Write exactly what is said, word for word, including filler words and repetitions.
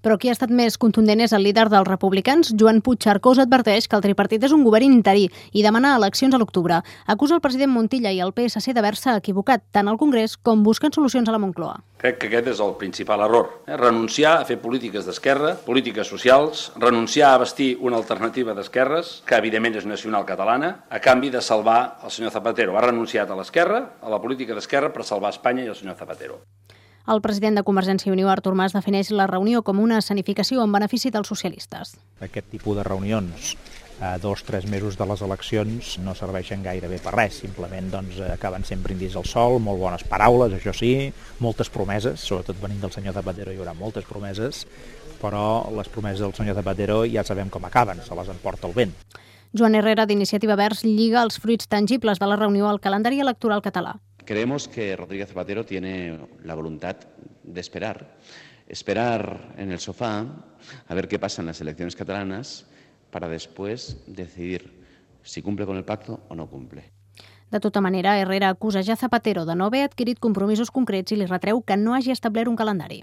Però qui ha estat més contundent és el líder dels republicans. Joan Puigcercós adverteix que el tripartit és un govern interí i demana eleccions a l'octubre. Acusa el president Montilla i el P S C d'haver-se equivocat tant al Congrés com busquen solucions a la Moncloa. Crec que aquest és el principal error. Eh? Renunciar a fer polítiques d'esquerra, polítiques socials, renunciar a vestir una alternativa d'esquerres, que evidentment és nacional catalana, a canvi de salvar el senyor Zapatero. Ha renunciat a l'esquerra, a la política d'esquerra, per salvar Espanya i el senyor Zapatero. El president de Convergència i Unió, Artur Mas, defineix la reunió com una escenificació en benefici dels socialistes. Aquest tipus de reunions a dos o tres mesos de les eleccions no serveixen gairebé per res, simplement doncs, acaben sent brindis al sol, molt bones paraules, això sí, moltes promeses, sobretot venint del senyor Zapatero hi haurà moltes promeses, però les promeses del senyor Zapatero ja sabem com acaben, se les emporta el vent. Joan Herrera, d'Iniciativa Verds, lliga els fruits tangibles de la reunió al calendari electoral català. Creemos que Rodríguez Zapatero tiene la voluntad de esperar, esperar en el sofá a ver qué pasa en las elecciones catalanas para después decidir si cumple con el pacto o no cumple. De tota manera, Herrera acusa ja Zapatero de no haver adquirit compromisos concrets i li retreu que no hagi establert un calendari.